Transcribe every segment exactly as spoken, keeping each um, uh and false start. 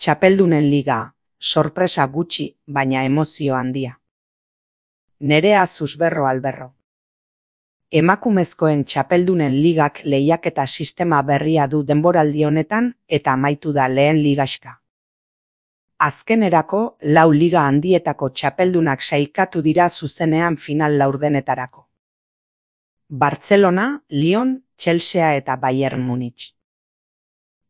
Txapeldunen liga, sorpresa gutxi, baina emozio handia. Nerea Susberro Alberro. Emakumezkoen txapeldunen ligak lehiaketa sistema berria du denboraldi honetan eta amaitu da lehen ligaxka. Azkenerako, lau liga handietako txapeldunak sailkatu dira zuzenean final laurdenetarako. Bartzelona, Lyon, Chelsea eta Bayern Munich.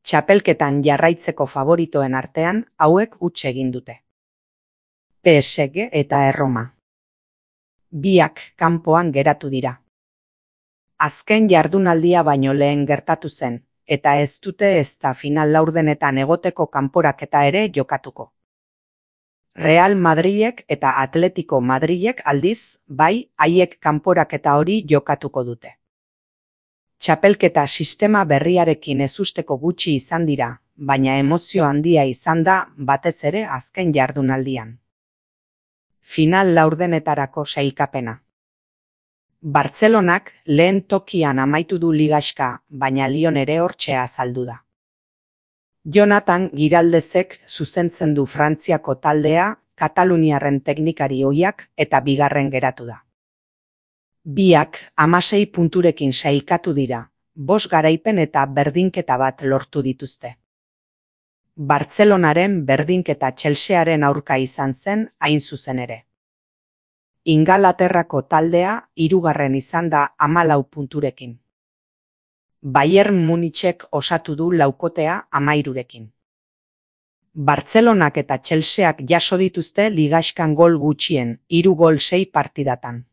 Txapelketan jarraitzeko favoritoen artean hauek huts egin dute. P S G eta Erroma. Biak kanpoan geratu dira. Azken jardunaldia baino lehen gertatu zen, eta ez dute ezta final laurdenetan egoteko kanporaketa ere jokatuko. Real Madrilek eta Atletico Madrilek aldiz, bai, haiek kanporaketa hori jokatuko dute. Txapelketa sistema berriarekin ezusteko gutxi izan dira, baina emozio handia izan da batez ere azken jardunaldian. Final laurdenetarako sailkapena. Bartzelonak lehen tokian amaitu du ligaxka, baina Lyon ere hortxe azaldu da. Jonathan Giraldezek zuzentzen du Frantziako taldea, Kataluniarren teknikari ohiak eta bigarren geratu da. Biak hamasei punturekin sailkatu dira, bost garaipen eta berdinketa bat lortu dituzte. Bartzelonaren berdinketa Chelsearen aurka izan zen hain zuzen ere. Ingalaterrako taldea hirugarren izan da hamalau punturekin. Bayern Munichek osatu du laukotea hamairurekin. Bartzelonak eta Chelseak jaso dituzte ligaxkan gol gutxien, hiru gol sei partidatan.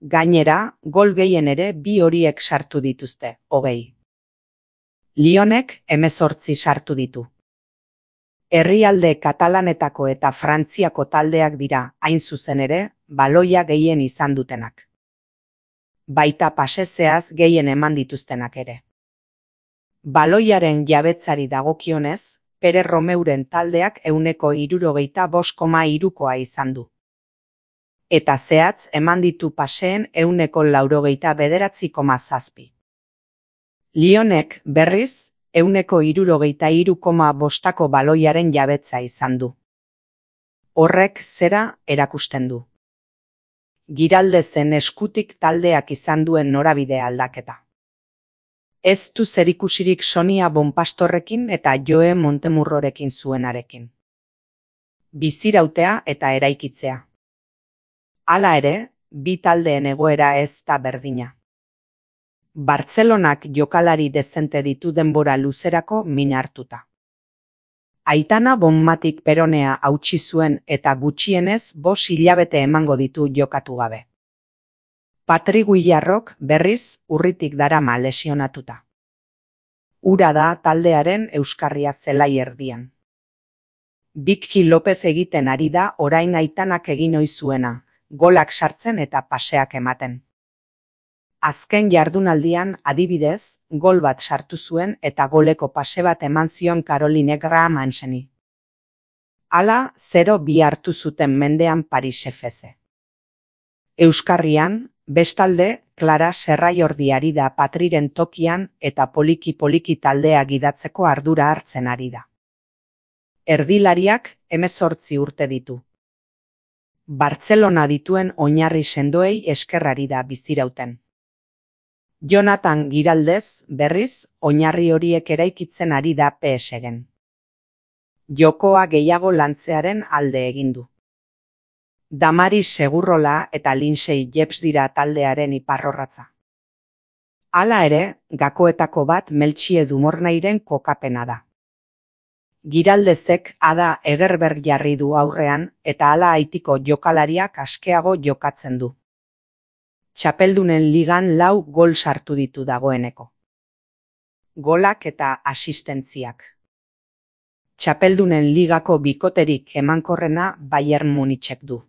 Gainera, gol gehien ere bi horiek sartu dituzte, hogei. Lyonek hemezortzi sartu ditu. Herrialde katalanetako eta Frantziako taldeak dira, hain zuzen ere, baloia gehien izan dutenak. Baita pasezeaz gehien eman dituztenak ere. Baloiaren jabetzari dagokionez, Pere Romeuren taldeak ehuneko hirurogeita bost koma hirukoa izan du. Eta zehatz eman ditu paseen ehuneko laurogeita bederatzi koma zazpi. Lyonek berriz, ehuneko hirurogeita hiru koma bostako baloiaren jabetza izan du. Horrek zera erakusten du. Giraldezen eskutik taldeak izan duen norabide aldaketa. Ez du zerikusirik Sonia Bonpastorrekin eta Joe Montemurrorekin zuenarekin. Bizirautea eta eraikitzea. Hala ere, bi taldeen egoera ez da berdina. Bartzelonak jokalari dezente ditu denbora luzerako min hartuta. Aitana Bonmatik peronea hautsi zuen eta gutxienez bost hilabete emango ditu jokatu gabe. Patri Guillarrok berriz urritik darama lesionatuta. Ura da taldearen euskarria zelai erdian. Bikki Lopez egiten ari da orain Aitanak egin ohi zuena, golak sartzen eta paseak ematen. Azken jardunaldian adibidez, gol bat sartu zuen eta goleko pase bat eman zion Caroline Graham-Hanseni. Hala, zero bi hartu zuten mendean Paris F C. Euskarrian, bestalde, Clara Serraiordi ari da Patriren tokian eta poliki-poliki taldea gidatzeko ardura hartzen ari da. Erdilariak hemezortzi urte ditu. Bartzelona dituen oinarri sendoei eskerrari da bizirauten. Jonathan Giraldez, berriz, oinarri horiek eraikitzen ari da P S G-en. Jokoa gehiago lantzearen alde egin du. Damaris Segurrola eta Lindsay Jepps dira taldearen iparrorratza. Hala ere, gakoetako bat Meltxie Dumornairen kokapena da. Giraldezek Ada Egerberg jarri du aurrean eta hala Haitiko jokalariak askeago jokatzen du. Txapeldunen ligan lau gol sartu ditu dagoeneko. Golak eta asistentziak. Txapeldunen ligako bikoterik emankorrena Bayern Munichek du.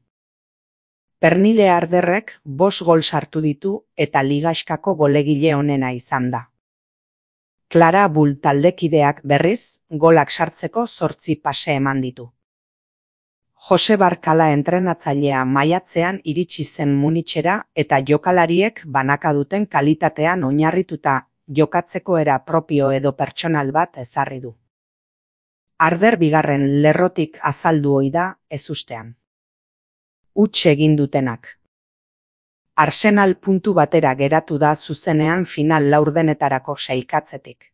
Pernille Arderrek bost gol sartu ditu eta ligaxkako golegile onena izan da. Clara Bull taldekideak berriz, golak sartzeko zortzi pase eman ditu. Jose Barkala entrenatzailea maiatzean iritsi zen Munichera eta jokalariek banaka duten kalitatean oinarrituta jokatzeko era propio edo pertsonal bat ezarri du. Arder bigarren lerrotik azaldu ohi da ezustean. Huts egin dutenak. Arsenal puntu batera geratu da zuzenean final laurdenetarako sailkatzetik.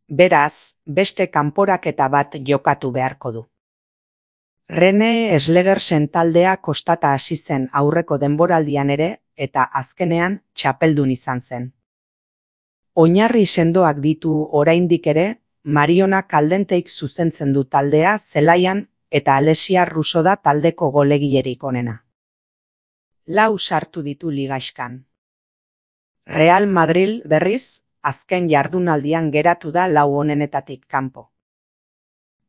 Beraz, beste kanporaketa bat jokatu beharko du. Rene Slegersen taldea kostata hasi zen aurreko denboraldian ere eta azkenean txapeldun izan zen. Oinarri sendoak ditu oraindik ere, Mariona Kaldenteik zuzentzen du taldea zelaian eta Alessia Russo da taldeko golegilerik onena. Lau sartu ditu ligaxkan. Real Madrid berriz, azken jardunaldian geratu da lau onenetatik kanpo.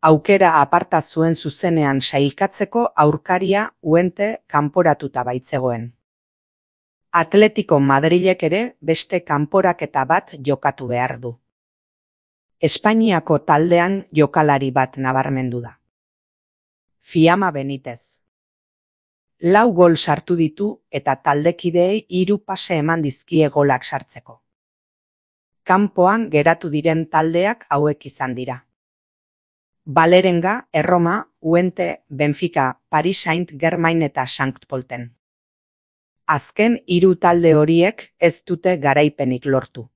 Aukera aparta zuen zuzenean sailkatzeko aurkaria Uente kanporatuta baitzegoen. Atletico Madrilek ere beste kanporaketa bat jokatu behar du. Espainiako taldean jokalari bat nabarmendu da. Fiamma Benitez. Lau gol sartu ditu eta taldekideei hiru pase eman dizkie golak sartzeko. Kanpoan geratu diren taldeak hauek izan dira. Valerenga, Erroma, Uente, Benfica, Paris Saint-Germain eta Sankt Polten. Azken hiru talde horiek ez dute garaipenik lortu.